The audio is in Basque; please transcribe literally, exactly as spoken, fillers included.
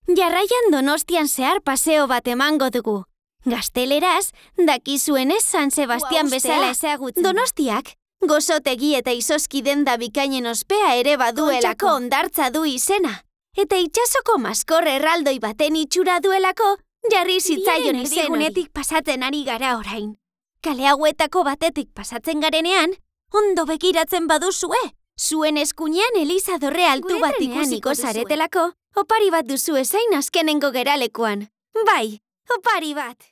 Jarraian Donostian zehar paseo bat emango dugu. Gazteleraz, dakizuenez San Sebastian bezala ezagutzen. Donostiak, gozotegi eta izoski denda bikainen ospea ere baduelako hondartza du izena. Eta itsasoko maskor erraldoi baten itxura duelako, jarri zitzaion izen hori. Pasatzen ari gara orain. Kale hauetako batetik pasatzen garenean, ondo begiratzen baduzue. Zuen eskuinean Eliza dorre altu bat ikusiko zaretelako, opari bat duzu ezain azkenengo geralekuan. Bai, opari bat.